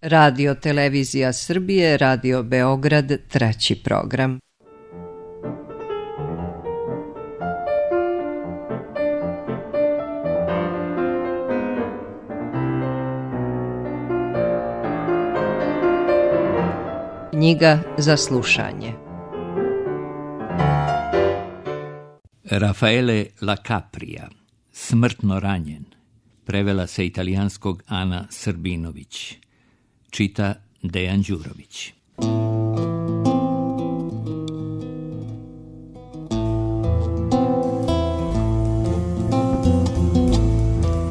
Radio Televizija Srbije, Radio Beograd, 3. program. Knjiga za slušanje. Raffaele La Capria, Smrtno ranjen, prevela sa italijanskog Ana Srbinović, čita Dejan Đurović.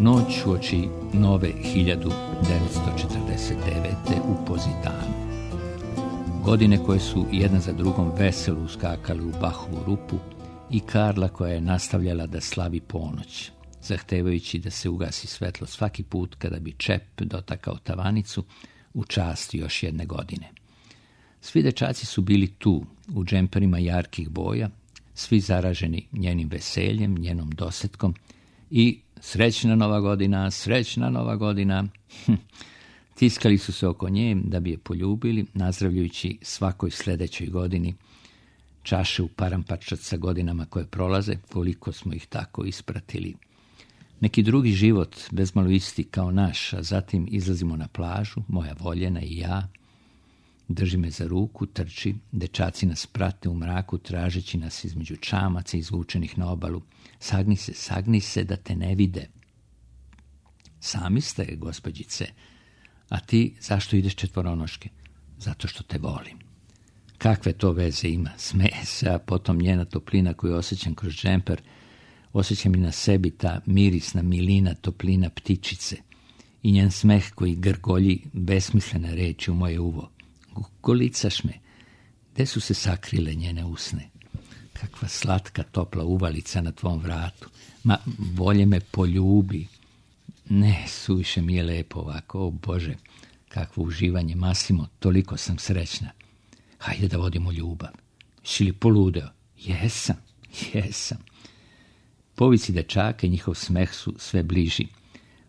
Noć uoči nove 1949. u Pozitanu. Godine koje su jedna za drugom veselo uskakali u Bahovu rupu i Karla koja je nastavljala da slavi ponoć, zahtevajući da se ugasi svetlo svaki put kada bi čep dotakao tavanicu u čast još jedne godine. Svi dečaci su bili tu, u džemperima jarkih boja, svi zaraženi njenim veseljem, njenom dosetkom i srećna nova godina, srećna nova godina. Tiskali su se oko nje da bi je poljubili, nazdravljajući svakoj sledećoj godini. Čaše u parampačat sa godinama koje prolaze, koliko smo ih tako ispratili. Neki drugi život, bezmalo isti kao naš, a zatim izlazimo na plažu, moja voljena i ja. Drži me za ruku, trči, dečaci nas prate u mraku, tražeći nas između čamaca izvučenih na obalu. Sagni se da te ne vide. Sami ste, gospođice. A ti zašto ideš četvoronoške? Zato što te volim. Kakve to veze ima? Smeje se, a potom njena toplina koju osjećam kroz džemper, osjećam i na sebi ta mirisna milina toplina ptičice i njen smeh koji grgolji besmislene reči u moje uvo. Golicaš me. Gde su se sakrile njene usne? Kakva slatka topla uvalica na tvom vratu. Ma, bolje me poljubi. Ne, suviše mi je lepo ovako, o Bože, kakvo uživanje, Masimo, toliko sam srećna. Hajde da vodimo ljubav. Si li poludeo? Jesam. Povici dečaka i njihov smeh su sve bliži.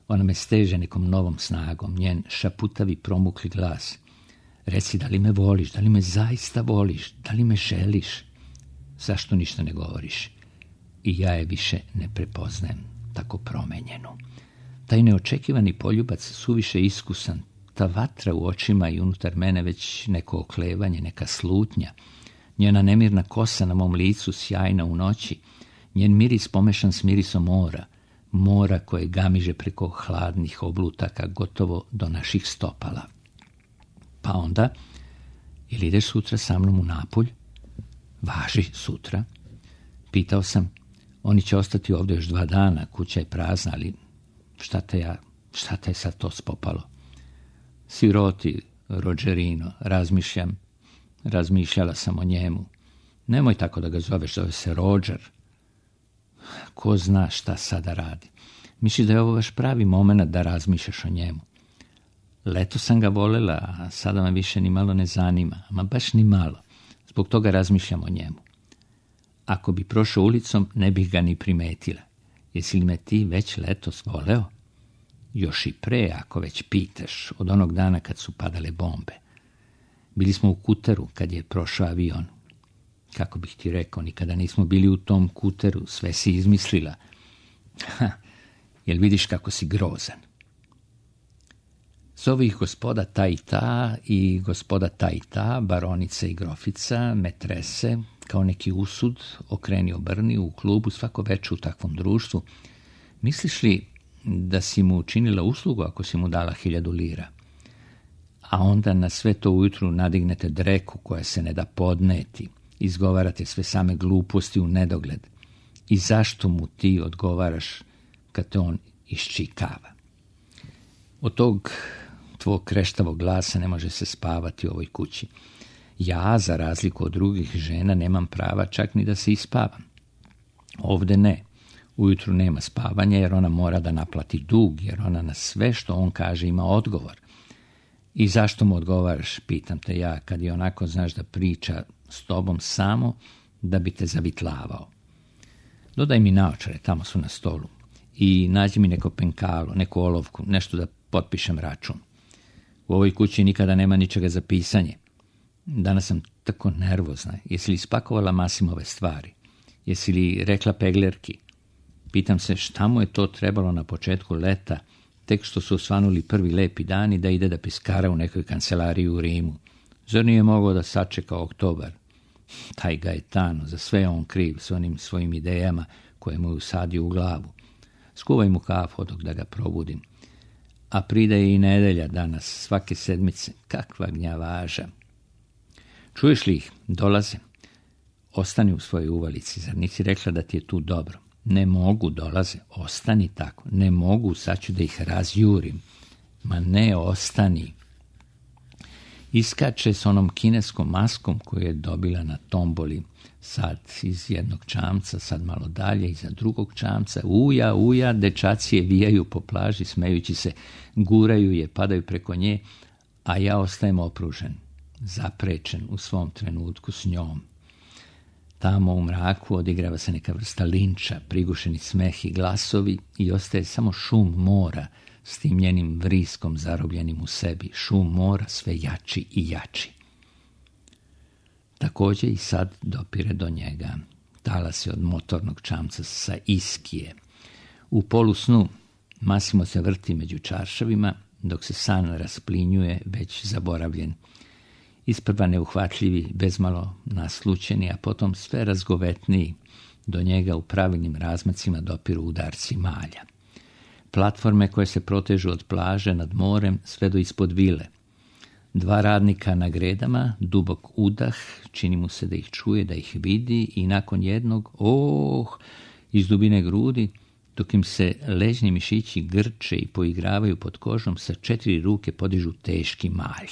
Ona me steže nekom novom snagom, njen šaputavi promukli glas. Reci, da li me voliš, da li me zaista voliš, da li me želiš? Zašto ništa ne govoriš? I ja je više ne prepoznajem, tako promenjenu. Taj neočekivani poljubac suviše iskusan, ta vatra u očima i unutar mene već neko oklevanje, neka slutnja, njena nemirna kosa na mom licu sjajna u noći, njen miris pomešan s mirisom mora koje gamiže preko hladnih oblutaka gotovo do naših stopala. Pa onda, ili ideš sutra sa mnom u Napulj? Važi, sutra. Pitao sam, oni će ostati ovdje još 2 dana, kuća je prazna, ali šta te je sad to spopalo? Siroti, Rogerino, razmišljala sam o njemu. Nemoj tako da ga zoveš, zove se Roger. Ko zna šta sada radi. Misliš da je ovo vaš pravi moment da razmišljaš o njemu? Leto sam ga volela, a sada me više ni malo ne zanima, ama baš ni malo. Zbog toga razmišljam o njemu. Ako bi prošao ulicom, ne bih ga ni primetila. Jesi li me ti već letos voleo? Još i pre, ako već pitaš, od onog dana kad su padale bombe. Bili smo u Kuteru kad je prošao avion. Kako bih ti rekao, nikada nismo bili u tom Kuteru, sve si izmislila. Jel vidiš kako si grozan? Zovu ih gospoda ta i ta i gospoda ta i ta, baronice i grofica, metrese, kao neki usud, okreni obrni u klubu svako večer u takvom društvu. Misliš li da si mu učinila uslugu ako si mu dala 1000 lira? A onda na sve to ujutru nadignete dreku koja se ne da podneti, izgovarate sve same gluposti u nedogled. I zašto mu ti odgovaraš kad te on iščikava? Od tog tvog kreštavog glasa ne može se spavati u ovoj kući. Ja, za razliku od drugih žena, nemam prava čak ni da se ispavam. Ovde ne. Ujutru nema spavanja jer ona mora da naplati dug, jer ona na sve što on kaže ima odgovor. I zašto mu odgovaraš, pitam te ja, kad je onako znaš da priča s tobom samo da bi te zavitlavao. Dodaj mi naočare, tamo su na stolu. I nađi mi neko penkalo, neku olovku, nešto da potpišem račun. U ovoj kući nikada nema ničega za pisanje. Danas sam tako nervozna. Jesi li spakovala Masimove stvari? Jesi li rekla peglerki? Pitam se šta mu je to trebalo na početku leta, tek što su osvanuli prvi lepi dani, da ide da piskara u nekoj kancelariji u Rimu. Zar nije mogao da sačeka oktobar? Taj Gaetano, za sve on kriv s onim svojim idejama koje mu je usadio u glavu. Skuvaj mu kafu dok da ga probudim. A pridaje i nedelja danas, svake sedmice. Kakva gnjavaža. Čuješ li ih? Dolaze. Ostani u svojoj uvalici, zar nisi rekla da ti je tu dobro? Ne mogu, dolaze. Ostani tako. Ne mogu, sad ću da ih razjurim. Ma ne, ostani. Iskače s onom kineskom maskom koju je dobila na tomboli. Sad iz jednog čamca, sad malo dalje, iza drugog čamca. Uja, uja, dečaci je vijaju po plaži, smejući se, guraju je, padaju preko nje, a ja ostajem opružen, zaprečen u svom trenutku s njom. Tamo u mraku odigrava se neka vrsta linča, prigušeni smeh i glasovi i ostaje samo šum mora s tim njenim vriskom zarobljenim u sebi. Šum mora sve jači i jači. Također i sad dopire do njega. Talas je od motornog čamca sa Iskije. U polusnu Masimo se vrti među čaršavima, dok se san rasplinjuje, već zaboravljen. Isprva neuhvatljivi, bezmalo naslućeni, a potom sve razgovetniji. Do njega u pravilnim razmacima dopiru udarci malja. Platforme koje se protežu od plaže nad morem sve do ispod vile. 2 radnika na gredama, dubok udah, čini mu se da ih čuje, da ih vidi i nakon jednog, iz dubine grudi, dok im se ležni mišići grče i poigravaju pod kožom, sa 4 ruke podižu teški malj.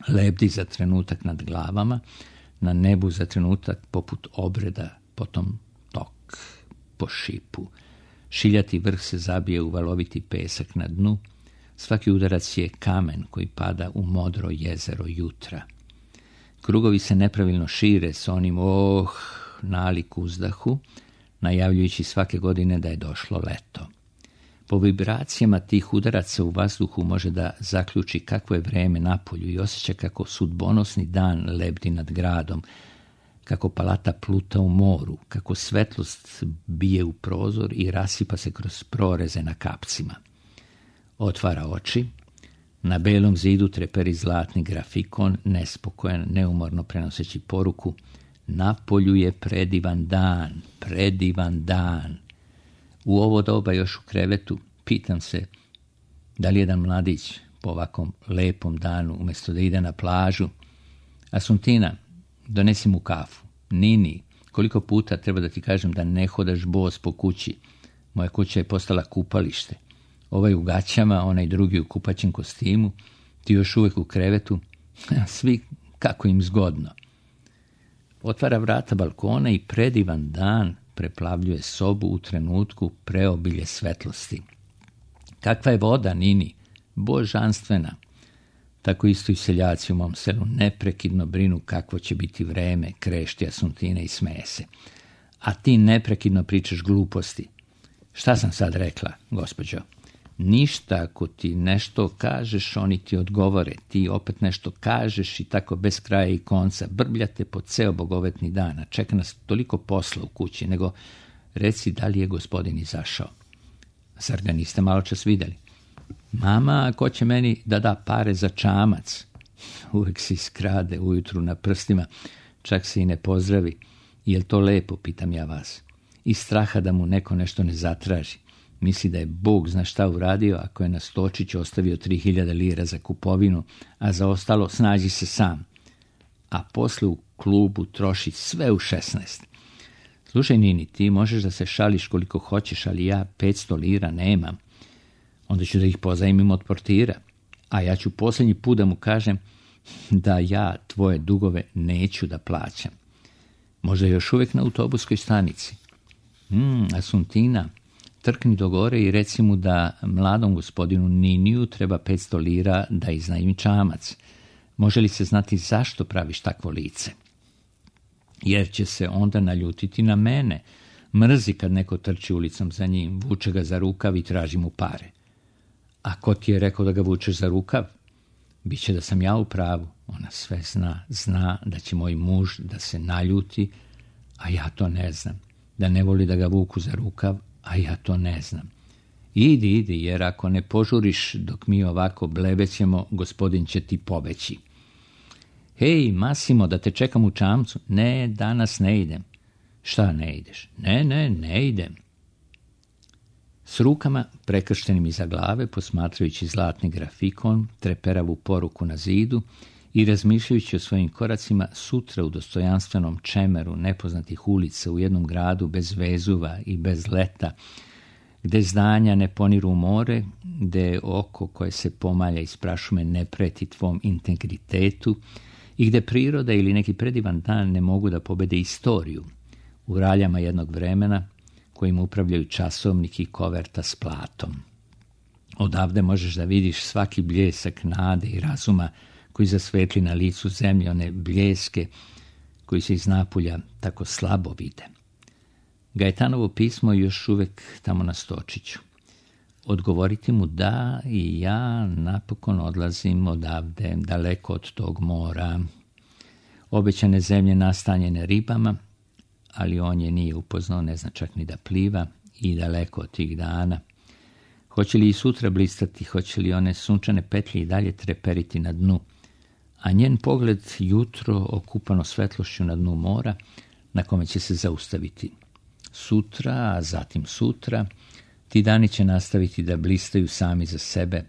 Lebdi za trenutak nad glavama, na nebu za trenutak poput obreda, potom tok po šipu. Šiljati vrh se zabije u valoviti pesak na dnu. Svaki udarac je kamen koji pada u modro jezero jutra. Krugovi se nepravilno šire s onim nalik uzdahu, najavljujući svake godine da je došlo leto. Po vibracijama tih udaraca u vazduhu može da zaključi kakvo je vreme napolju i osjeća kako sudbonosni dan lebdi nad gradom, kako palata pluta u moru, kako svetlost bije u prozor i rasipa se kroz proreze na kapcima. Otvara oči, na belom zidu treperi zlatni grafikon, nespokojan, neumorno prenoseći poruku: napolju je predivan dan, predivan dan. U ovo doba još u krevetu pitam se da li jedan mladić po ovakvom lepom danu, umjesto da ide na plažu. Asuntina, donesi mu kafu. Nini, koliko puta treba da ti kažem da ne hodaš bos po kući? Moja kuća je postala kupalište. Ovaj u gaćama, onaj drugi u kupaćem kostimu, ti još uvijek u krevetu, svi kako im zgodno. Otvara vrata balkona i predivan dan preplavljuje sobu u trenutku preobilje svetlosti. Kakva je voda, Nini? Božanstvena. Tako isto i seljaci u mom selu neprekidno brinu kakvo će biti vreme, krešti Asuntine i smeje se. A ti neprekidno pričaš gluposti. Šta sam sad rekla, gospođo? Ništa, ako ti nešto kažeš, oni ti odgovore. Ti opet nešto kažeš i tako bez kraja i konca. Brbljate po ceo bogovetni dan, a čeka nas toliko posla u kući, nego reci da li je gospodin izašao. Zar ga niste malo čas vidjeli? Mama, ko će meni da da pare za čamac? Uvijek se iskrade ujutru na prstima, čak se i ne pozdravi. Jel to lepo, pitam ja vas. Iz straha da mu neko nešto ne zatraži. Misli da je Bog zna šta uradio ako je na Stočiću ostavio 3000 lira za kupovinu, a za ostalo snađi se sam. A posle u klubu troši sve u 16. Slušaj, Nini, ti možeš da se šališ koliko hoćeš, ali ja 500 lira nemam. Onda ću da ih pozajmim od portira, a ja ću posljednji put da mu kažem da ja tvoje dugove neću da plaćam. Možda još uvijek na autobuskoj stanici. Asuntina, trkni do gore i reci mu da mladom gospodinu Niniju treba 500 lira da iznajmi čamac. Može li se znati zašto praviš takvo lice? Jer će se onda naljutiti na mene. Mrzi kad neko trči ulicom za njim, vuče ga za rukav i traži mu pare. A ko ti je rekao da ga vučeš za rukav? Biće da sam ja u pravu. Ona sve zna da će moj muž da se naljuti, a ja to ne znam. Da ne voli da ga vuku za rukav, a ja to ne znam. Idi, jer ako ne požuriš dok mi ovako blebećemo, gospodin će ti pobeći. Hej, Masimo, da te čekam u čamcu. Ne, danas ne idem. Šta ne ideš? Ne idem. S rukama prekrštenim iza glave, posmatrajući zlatni grafikon, treperavu poruku na zidu i razmišljajući o svojim koracima, sutra u dostojanstvenom čemeru nepoznatih ulica u jednom gradu bez Vezuva i bez leta, gde zdanja ne poniru u more, gde oko koje se pomalja iz prašume ne preti tvom integritetu i gde priroda ili neki predivan dan ne mogu da pobede istoriju, u raljama jednog vremena kojim upravljaju časovnik i koverta s platom. Odavde možeš da vidiš svaki bljesak nade i razuma koji zasvetli na licu zemlje, one bljeske koji se iz napolja tako slabo vide. Gajetanovo pismo je još uvek tamo na stočiću. Odgovoriti mu da i ja napokon odlazim odavde, daleko od tog mora. Obećane zemlje nastanjene ribama, ali on je nije upoznao, ne zna čak ni da pliva i daleko od tih dana. Hoće li i sutra blistati, hoće li one sunčane petlje i dalje treperiti na dnu, a njen pogled jutro okupano svetlošću na dnu mora, na kome će se zaustaviti. Sutra, a zatim sutra, ti dani će nastaviti da blistaju sami za sebe,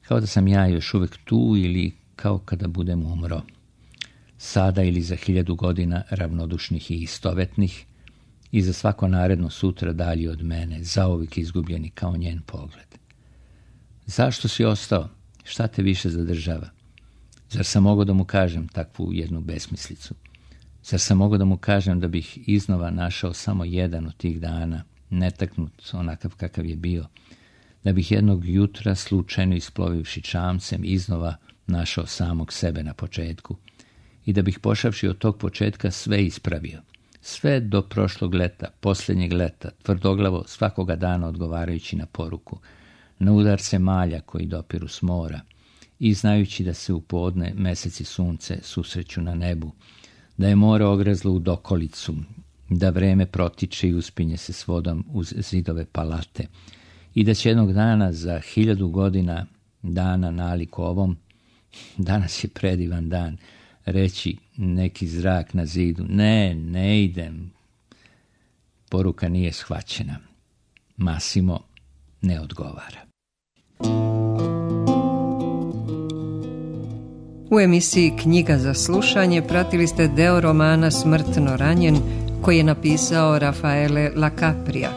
kao da sam ja još uvek tu ili kao kada budem umro. Sada ili za 1000 godina ravnodušnih i istovetnih i za svako naredno sutra dalje od mene, zauvijek izgubljeni kao njen pogled. Zašto si ostao? Šta te više zadržava? Zar sam mogao da mu kažem takvu jednu besmislicu? Zar sam mogao da mu kažem da bih iznova našao samo jedan od tih dana, netaknut onakav kakav je bio, da bih jednog jutra slučajno isplovivši čamcem iznova našao samog sebe na početku i da bih pošavši od tog početka sve ispravio, sve do prošlog leta, posljednjeg leta, tvrdoglavo svakoga dana odgovarajući na poruku, na udarce malja koji dopiru s mora i znajući da se u podne mesec i sunce susreću na nebu, da je more ogrezlo u dokolicu, da vreme protiče i uspinje se s vodom uz zidove palate i da će jednog dana za 1000 godina dana nalik ovom, danas je predivan dan, reći neki zrak na zidu, ne idem. Poruka nije shvaćena. Masimo ne odgovara. U emisiji Knjiga za slušanje pratili ste deo romana Smrtno ranjen koji je napisao Rafaele Lacaprija.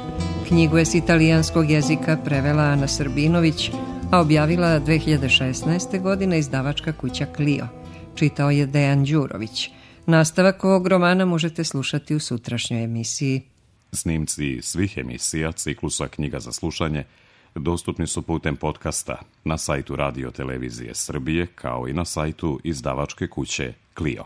Knjigu je s italijanskog jezika prevela Ana Srbinović, a objavila 2016. godine izdavačka kuća Clio. Čitao je Dejan Đurović. Nastavak ovog romana možete slušati u sutrašnjoj emisiji. Snimci svih emisija ciklusa Knjiga za slušanje dostupni su putem podcasta na sajtu Radio Televizije Srbije kao i na sajtu izdavačke kuće Clio.